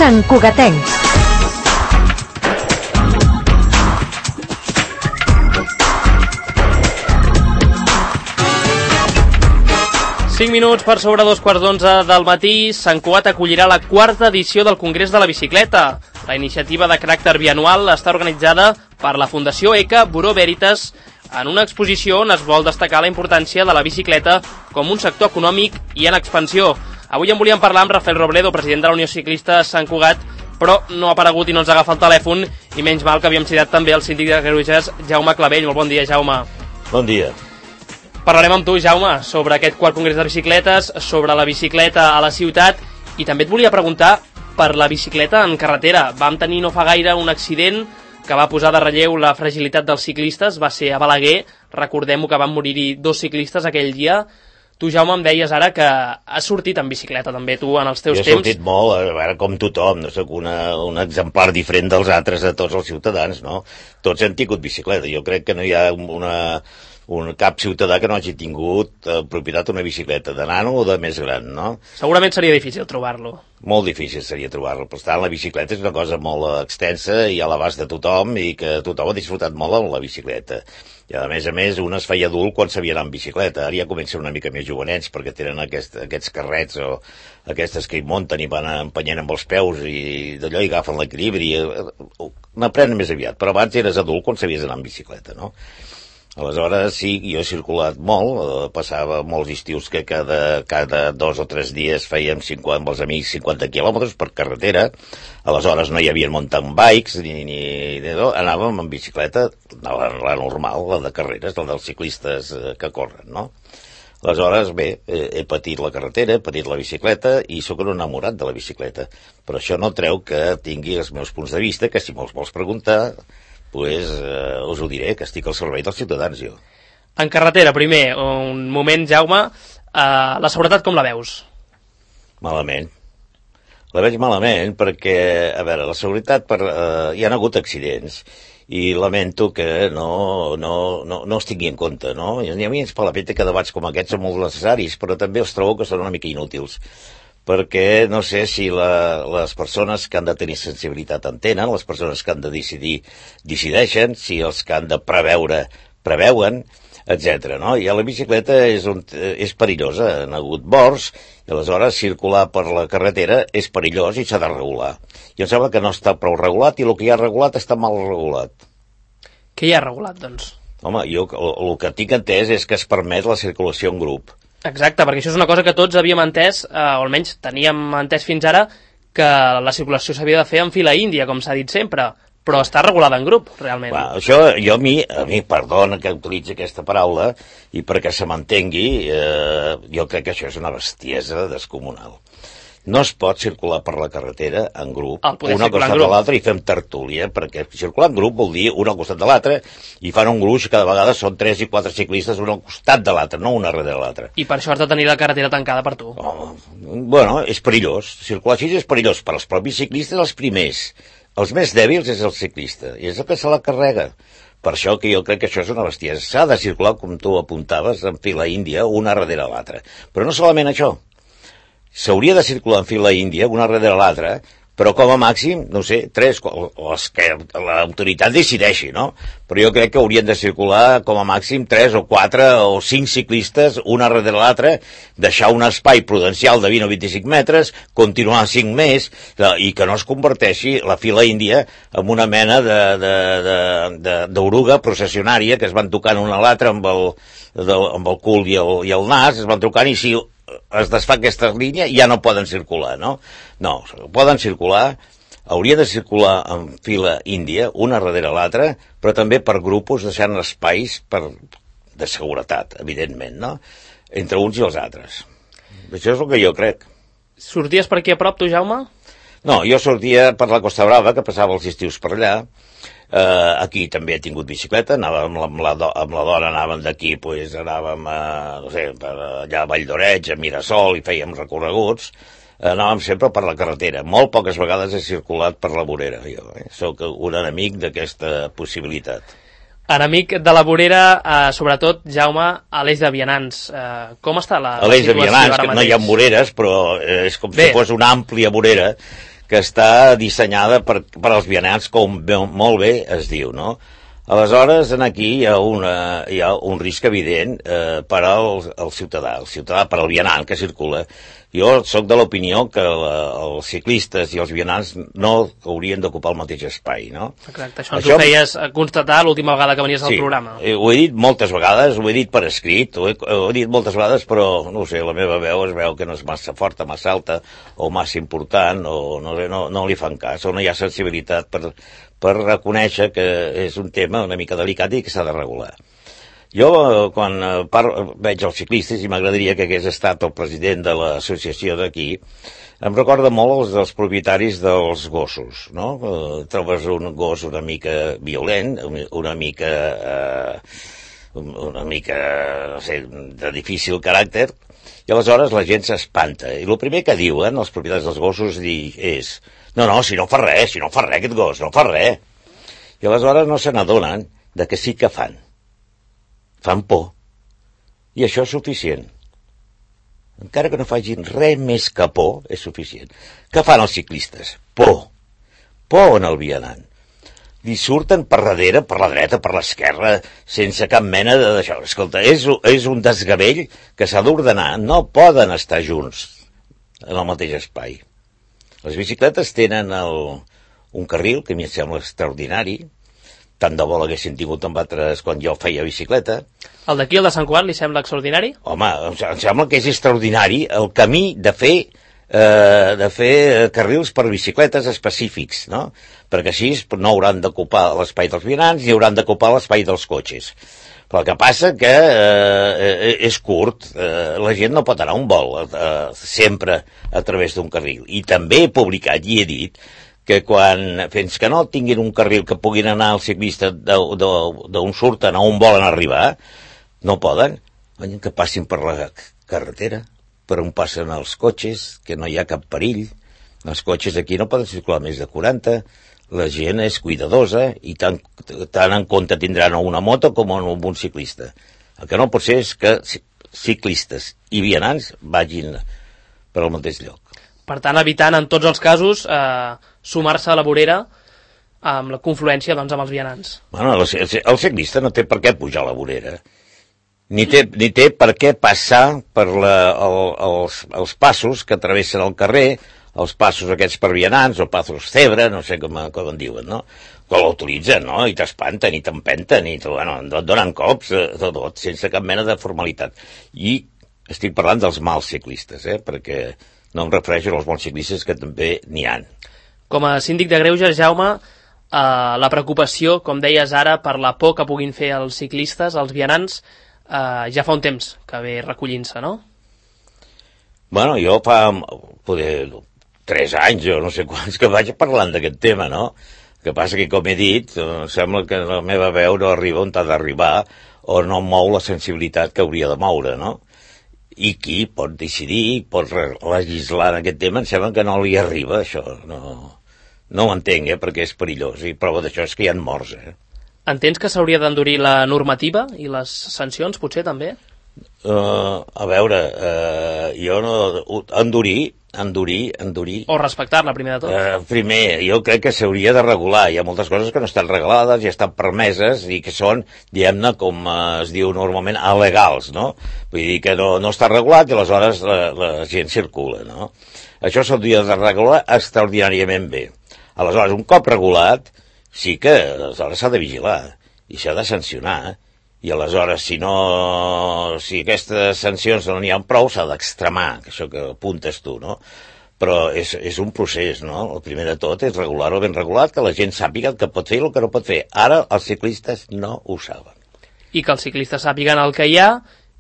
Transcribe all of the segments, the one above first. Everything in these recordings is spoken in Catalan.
Sant Cugatencs. Cinc minuts per sobre 2:15 del matí, Sant Cugat acollirà la quarta edició del Congrés de la Bicicleta. La iniciativa de caràcter bianual està organitzada per la Fundació ECA Buró Veritas en una exposició on es vol destacar la importància de la bicicleta com un sector econòmic i en expansió. Avui en volíem parlar amb Rafael Robledo, president de la Unió Ciclista Sant Cugat, però no ha aparegut i no ens agafa el telèfon, i menys mal que havíem citat també el síndic de Greuges, Jaume Clavell. Molt bon dia, Jaume. Bon dia. Parlarem amb tu, Jaume, sobre aquest quart congrés de bicicletes, sobre la bicicleta a la ciutat, i també et volia preguntar per la bicicleta en carretera. Vam tenir no fa gaire un accident que va posar de relleu la fragilitat dels ciclistes, va ser a Balaguer, recordem-ho que van morir-hi 2 ciclistes aquell dia. Tu, Jaume, em deies ara que has sortit en bicicleta també, tu, en els teus temps. Jo he sortit molt, a veure, com tothom, no sóc un exemplar diferent dels altres, de tots els ciutadans, no? Tots hem tingut bicicleta, jo crec que no hi ha cap ciutadà que no hagi tingut propietat una bicicleta, de nano o de més gran, no? Segurament seria difícil trobar-lo. Molt difícil seria trobar-lo. Per tant, la bicicleta és una cosa molt extensa i a l'abast de tothom, i que tothom ha disfrutat molt amb la bicicleta. I a més, un es feia adult quan sabia anar en bicicleta. Ara ja comencen una mica més jovenets, perquè tenen aquests carrets o aquestes que hi munten i van empenyent amb els peus i d'allò hi agafen l'equilibri. N'aprenen més aviat, però abans eres adult quan sabies anar en bicicleta, no? Aleshores, sí, jo he circulat molt, passava molts estius que cada 2 o 3 dies fèiem amb els amics 50 quilòmetres per carretera. Aleshores no hi havia mountain bikes, anàvem en bicicleta, la normal, la de carreres, la dels ciclistes que corren, no? Aleshores, bé, he patit la carretera, he patit la bicicleta i sóc un enamorat de la bicicleta. Però això no treu que tingui els meus punts de vista, que si me'ls vols preguntar, us ho diré, que estic al servei dels ciutadans, jo. En carretera, primer, un moment, Jaume, la seguretat com la veus? Malament. La veig malament perquè, a veure, la seguretat, hi ha hagut accidents i lamento que no es tingui en compte, no? I a mi ens fa la peta que debats com aquests són molt necessaris, però també els trobo que són una mica inútils, perquè no sé si les persones que han de tenir sensibilitat en tenen, les persones que han de decidir decideixen, si els que han de preveuen, etc. No? I a la bicicleta és perillosa, han hagut morts, i aleshores circular per la carretera és perillós i s'ha de regular. I em sembla que no està prou regulat i el que hi ha regulat està mal regulat. Què hi ha regulat, doncs? Home, jo el que tinc entès és que es permet la circulació en grup. Exacte, perquè això és una cosa que tots havíem entès, o almenys teníem entès fins ara, que la circulació s'havia de fer en fila índia, com s'ha dit sempre, però està regulada en grup, realment. Va, això, a mi, perdona que utilitzi aquesta paraula, i perquè se m'entengui, jo crec que això és una bestiesa descomunal. No es pot circular per la carretera en grup, un al costat de l'altre, i fem tertúlia, perquè circular en grup vol dir un al costat de l'altre, i fan un gruix, cada vegada són 3 i 4 ciclistes, un al costat de l'altre, no un darrere de l'altre. I per això has de tenir la carretera tancada per tu. Bueno, és perillós. Circular així és perillós per als propis ciclistes, els primers. Els més dèbils és el ciclista, i és el que se la carrega. Per això que jo crec que això és una bestiesa. S'ha de circular, com tu apuntaves, en fila índia, una darrere l'altra. Però no solament això. S'hauria de circular en fila índia, una darrere l'altra, però com a màxim, no sé, 3, els que l'autoritat decideixi, no? Però jo crec que haurien de circular com a màxim 3 o 4 o 5 ciclistes, una darrere l'altra, deixar un espai prudencial de 20 o 25 metres, continuar 5 més, i que no es converteixi la fila índia en una mena d'oruga processionària que es van tocant una a l'altra amb el cul i el nas, es van tocant, i si es desfà aquesta línia ja no poden circular, no? No, poden circular, hauria de circular en fila índia, una darrere l'altra, però també per grupos, deixant espais de seguretat, evidentment, no? Entre uns i els altres. Això és el que jo crec. Sorties per aquí a prop, tu, Jaume? No, jo sortia per la Costa Brava, que passava els estius per allà. Aquí també he tingut bicicleta, anàvem amb la dona, anàvem d'aquí, anàvem allà a Vall d'Oreig, a Mirasol, i fèiem recorreguts. Anàvem sempre per la carretera. Molt poques vegades he circulat per la vorera, jo. Soc un enemic d'aquesta possibilitat. Enemic de la vorera, sobretot, Jaume, a l'Eix de Vianants. Com està la situació ara mateix? A l'Eix de Vianants, que no hi ha voreres, però és com si fos una àmplia vorera, que està dissenyada per als vianants, com molt bé es diu, no? Aleshores, aquí hi ha un risc evident per al ciutadà, per al vianant que circula. Jo sóc de l'opinió que els ciclistes i els vianants no haurien d'ocupar el mateix espai, no? Exacte, això ho feies constatar l'última vegada que venies al programa. Sí, ho he dit moltes vegades, ho he dit per escrit, ho he dit moltes vegades, però, no sé, la meva veu es veu que no és massa forta, massa alta, o massa important, o no li fan cas, o no hi ha sensibilitat per reconèixer que és un tema una mica delicat i que s'ha de regular. Jo, quan veig els ciclistes, i m'agradaria que hagués estat el president de l'associació d'aquí, em recorda molt els propietaris dels gossos, no? Trobes un gos una mica violent, una mica, no sé, de difícil caràcter, i aleshores la gent s'espanta. I el primer que diuen els propietaris dels gossos és no, si no fa res aquest gos, no fa res. I aleshores no se n'adonen de que sí que fan por, i això és suficient. Encara que no facin res més que por, és suficient. Què fan els ciclistes? Por en el vianant. Li surten per darrere, per la dreta, per l'esquerra, sense cap mena d'això. Escolta, és un desgavell que s'ha d'ordenar. No poden estar junts en el mateix espai. Les bicicletes tenen un carril que a mi em sembla extraordinari. Tant de bo l'haguessin tingut amb altres quan jo feia bicicleta. El d'aquí, el de Sant Cugat, li sembla extraordinari? Home, em sembla que és extraordinari el camí de fer carrils per bicicletes específics, no? Perquè així no hauran d'ocupar l'espai dels vianants ni hauran d'ocupar l'espai dels cotxes. Però el que passa que és curt, la gent no pot anar a un vol sempre a través d'un carril. I també he publicat i he dit que fins que no tinguin un carril que puguin anar els ciclistes d'on surten a on volen arribar, no poden, que passin per la carretera, per on passen els cotxes, que no hi ha cap perill. Els cotxes aquí no poden circular més de 40, la gent és cuidadosa i tant en compte tindran una moto com un ciclista. El que no pot ser és que ciclistes i vianants vagin per al mateix lloc. Per tant, evitant en tots els casos sumar-se a la vorera amb la confluència amb els vianants. Bueno, el ciclista no té per què pujar a la vorera, ni té per què passar per els passos que travessen el carrer, els passos aquests per vianants, o passos zebra, no sé com en diuen, no? Que l'utilitzen, no? I t'espanten, i t'empenten, i et donen cops, tot, sense cap mena de formalitat. I estic parlant dels mals ciclistes, perquè no em refereixo als bons ciclistes, que també n'hi ha. Com a síndic de Greuges, Jaume, la preocupació, com deies ara, per la por que puguin fer els ciclistes, els vianants, ja fa un temps que ve recollint-se, no? Bueno, jo fa 3 anys, o no sé quants, que vaig parlant d'aquest tema, no? El que passa que, com he dit, sembla que la meva veu no arriba on ha d'arribar, o no mou la sensibilitat que hauria de moure, no? I qui pot decidir, pot legislar en aquest tema, em sembla que no li arriba, això. No ho entenc, perquè és perillós, i prova d'això és que hi ha morts, Entens que s'hauria d'endurir la normativa i les sancions, potser, també? A veure, jo no... Endurir... O respectar-la, primer de tot. Primer, jo crec que s'hauria de regular. Hi ha moltes coses que no estan reglades i estan permeses i que són, diguem-ne, com es diu normalment, alegals, no? Vull dir que no està regulat i aleshores la gent circula, no? Això s'hauria de regular extraordinàriament bé. Aleshores, un cop regulat, sí que aleshores s'ha de vigilar i s'ha de sancionar. I aleshores, si aquestes sancions no n'hi ha prou, s'ha d'extremar, que això que apuntes tu, no? Però és un procés, no? El primer de tot és regular-ho ben regulat, que la gent sàpiga el que pot fer i el que no pot fer. Ara els ciclistes no ho saben. I que els ciclistes sàpiguen el que hi ha,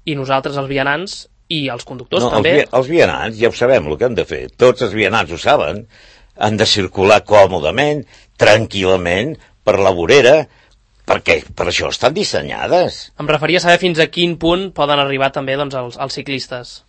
i nosaltres, els vianants, i els conductors també. Els vianants ja ho sabem, el que han de fer. Tots els vianants ho saben. Han de circular còmodament, tranquil·lament, per la vorera, perquè per això estan dissenyades. Em referia a saber fins a quin punt poden arribar també els ciclistes.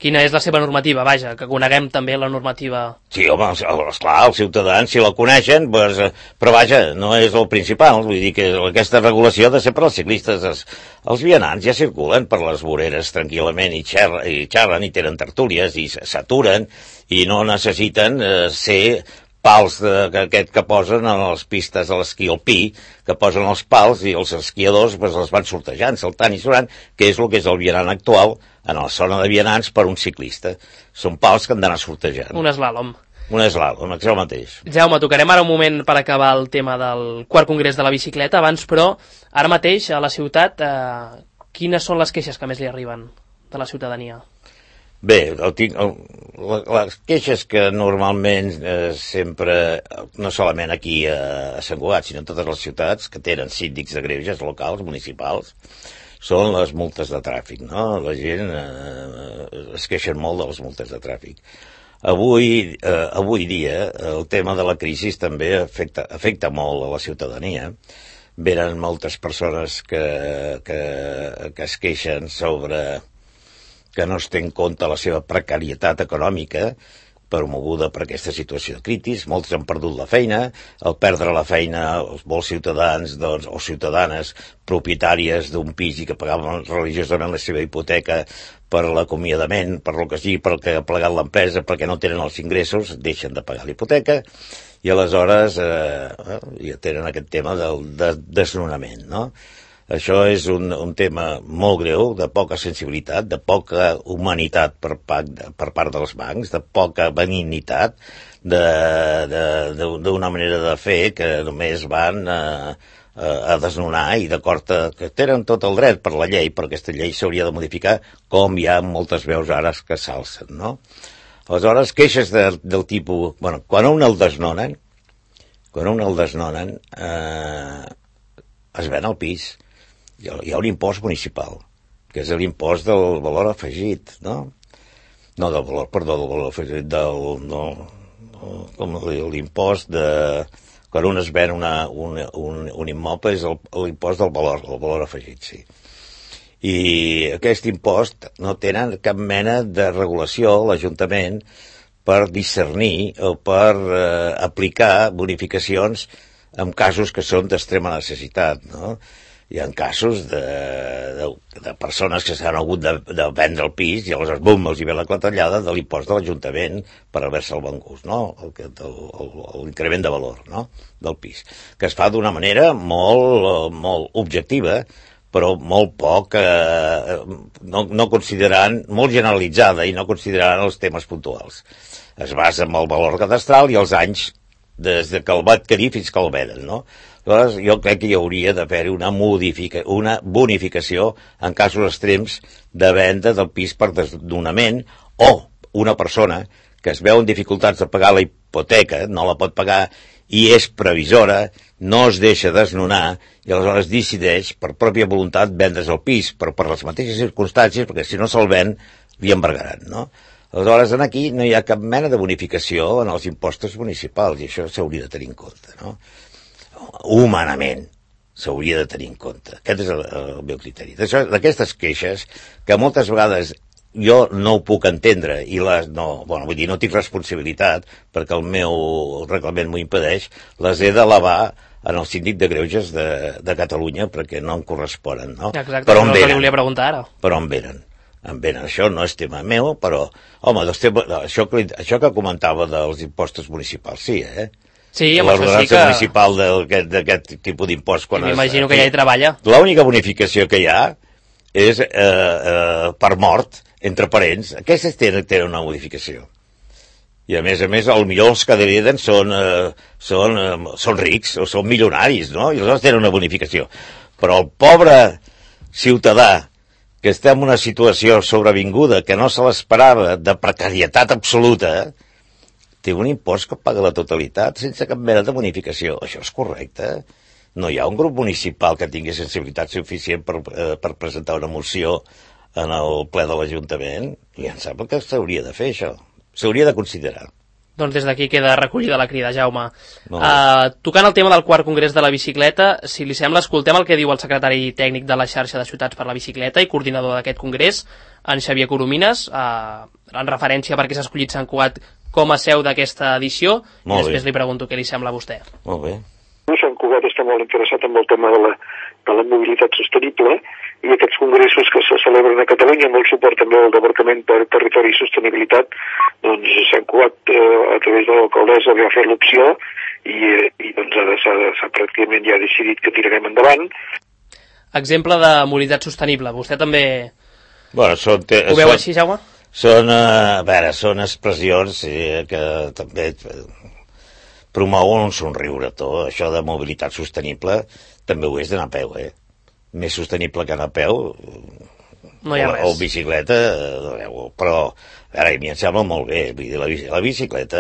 Quina és la seva normativa, vaja, que coneguem també la normativa. Sí, home, esclar, els ciutadans, si la coneixen, però vaja, no és el principal. Vull dir que aquesta regulació ha de ser per als ciclistes. Els vianants ja circulen per les voreres tranquil·lament i xerren i tenen tertúlies i s'aturen i no necessiten ser pals que posen a les pistes de l'esquí alpí, que posen els pals i els esquiadors els van sortejant, saltant i surant, que és el que és el vianant actual en la zona de vianants per un ciclista. Són pals que han d'anar sortejant. Un eslàlom. Un eslàlom, això mateix. Jaume, tocarem ara un moment per acabar el tema del quart congrés de la bicicleta. Abans, però, ara mateix a la ciutat, quines són les queixes que més li arriben de la ciutadania? Bé, les queixes que normalment sempre, no solament aquí a Sant Cugat, sinó en totes les ciutats que tenen síndics de greuges locals, municipals, són les multes de tràfic, no? La gent es queixen molt de les multes de tràfic. Avui dia el tema de la crisi també afecta molt a la ciutadania. Venen moltes persones que es queixen sobre que no es té en compte la seva precarietat econòmica promoguda per aquesta situació de crisis. Molts han perdut la feina. Al perdre la feina, molts ciutadans o ciutadanes propietàries d'un pis i que pagaven religiosament la seva hipoteca per l'acomiadament, per lo que sigui, perquè ha plegat l'empresa, perquè no tenen els ingressos, deixen de pagar l'hipoteca i aleshores ja tenen aquest tema del desnonament, no? Això és un tema molt greu, de poca sensibilitat, de poca humanitat per part dels bancs, de poca benignitat, d'una manera de fer que només van a desnonar i d'acord que tenen tot el dret per la llei, però aquesta llei s'hauria de modificar, com hi ha moltes veus ara que s'alcen, no? Aleshores, queixes del tipus... Bueno, quan un el desnonen, es ven el pis. Hi ha un impost municipal, que és l'impost del valor afegit, no? No del valor, perdó, del valor afegit, l'impost de... Quan un es ven un immoble és l'impost del valor afegit, sí. I aquest impost no tenen cap mena de regulació a l'Ajuntament per discernir o per aplicar bonificacions en casos que són d'extrema necessitat, no? Hi ha casos de persones que s'han hagut de vendre el pis i aleshores, bum, els hi ve la clatellada de l'impost de l'Ajuntament per haver-se el vengut, no? L'increment de valor, no? Del pis, que es fa d'una manera molt objectiva, però molt poc, no considerant, molt generalitzada i no considerant els temes puntuals. Es basa en el valor cadastral i els anys des que el va adquirir fins que el venen, no? Aleshores, jo crec que hi hauria d'haver una bonificació en casos extrems de venda del pis per desnonament o una persona que es veu en dificultats de pagar la hipoteca, no la pot pagar i és previsora, no es deixa desnonar i aleshores decideix per pròpia voluntat vendre's el pis, però per les mateixes circumstàncies, perquè si no se'l ven li embargaran, no? Aleshores, aquí no hi ha cap mena de bonificació en els impostos municipals i això s'hauria de tenir en compte, no? Humanament s'hauria de tenir en compte. Aquest és el meu criteri. D'aquestes queixes, que moltes vegades jo no ho puc entendre i no tinc responsabilitat perquè el meu reglament m'ho impedeix, les he d'elevar en el síndic de greuges de Catalunya perquè no em corresponen, no? Exacte, però no li volia preguntar ara. Però on venen? Això no és tema meu, però, home, això que comentava dels impostos municipals, sí, Sí, amb això sí que... municipal d'aquest tipus d'impost. M'imagino que ja hi treballa. L'única bonificació que hi ha és per mort, entre parents. Aquestes tenen una modificació. I a més, potser els que hereden són rics o són milionaris, no? I aleshores tenen una bonificació. Però el pobre ciutadà que està en una situació sobrevinguda, que no se l'esperava, de precarietat absoluta, té un impost que paga la totalitat sense cap mena de bonificació. Això és correcte. No hi ha un grup municipal que tingui sensibilitat suficient per presentar una moció en el ple de l'Ajuntament. I em sembla que s'hauria de fer, això. S'hauria de considerar. Doncs des d'aquí queda recollida la crida, Jaume. Tocant el tema del quart congrés de la bicicleta, si li sembla, escoltem el que diu el secretari tècnic de la xarxa de ciutats per la bicicleta i coordinador d'aquest congrés, en Xavier Coromines, en referència perquè s'ha escollit Sant Cugat com a seu d'aquesta edició, i després li pregunto què li sembla a vostè. Molt bé. Sant Cugat està molt interessat en el tema de la mobilitat sostenible, i aquests congressos que se celebren a Catalunya, amb el suport també del Departament per Territori i Sostenibilitat, doncs Sant Cugat, a través de l'alcaldessa, va fer l'opció i doncs ara s'ha pràcticament ja decidit que tirarem endavant. Exemple de mobilitat sostenible, vostè també ho veu així, Jaume? Són expressions que també promouen un somriure. Tot això de mobilitat sostenible també ho és d'anar a peu, més sostenible que anar a peu no hi ha res. O bicicleta, però ara a mi em sembla molt bé. Vull dir, la bicicleta,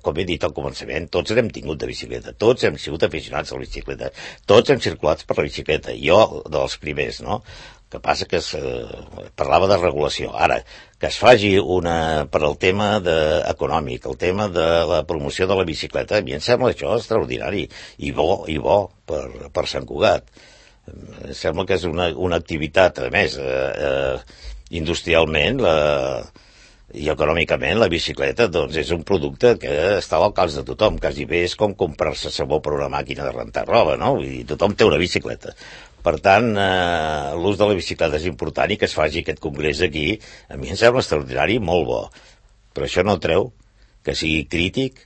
com he dit al començament, tots n'hem tingut de bicicleta, tots hem sigut aficionats a la bicicleta, tots hem circulat per la bicicleta, jo dels primers, no? Que passa que parlava de regulació. Ara, que es faci per al tema econòmic, el tema de la promoció de la bicicleta, a mi em sembla això extraordinari i bo per Sant Cugat. Em sembla que és una activitat, a més, industrialment i econòmicament, la bicicleta doncs, és un producte que està al alcance de tothom. Quasi bé és com comprar-se sabó per una màquina de rentar roba, no? Vull dir, tothom té una bicicleta. Per tant, l'ús de la bicicleta és important i que es faci aquest congrés aquí, a mi em sembla extraordinari i molt bo. Però això no treu que sigui crític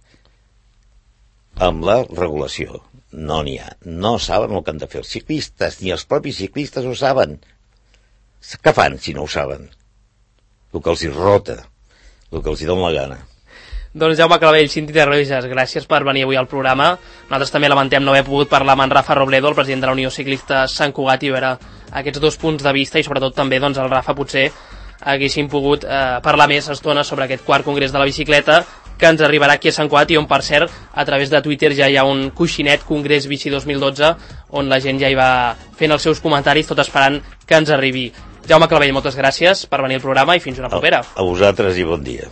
amb la regulació. No n'hi ha. No saben el que han de fer els ciclistes, ni els propis ciclistes ho saben. Què fan si no ho saben? El que els hi rota, el que els hi dona la gana. Doncs Jaume Clavell, Cinti de Reuges, gràcies per venir avui al programa. Nosaltres també lamentem no haver pogut parlar amb en Rafa Robledo, el president de la Unió Ciclista Sant Cugat, i veure aquests dos punts de vista, i sobretot també doncs, el Rafa potser haguéssim pogut parlar més estona sobre aquest quart congrés de la bicicleta que ens arribarà aquí a Sant Cugat, i on, per cert, a través de Twitter ja hi ha un coixinet Congrés Bici 2012, on la gent ja hi va fent els seus comentaris, tot esperant que ens arribi. Jaume Clavell, moltes gràcies per venir al programa i fins una propera. A vosaltres i bon dia.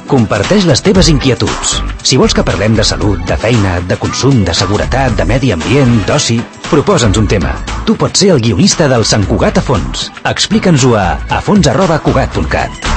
Comparteix les teves inquietuds. Si vols que parlem de salut, de feina, de consum, de seguretat, de medi ambient, d'oci, proposa'ns un tema. Tu pots ser el guionista del Sant Cugat a fons. Explica'ns-ho a fons@cugat.cat.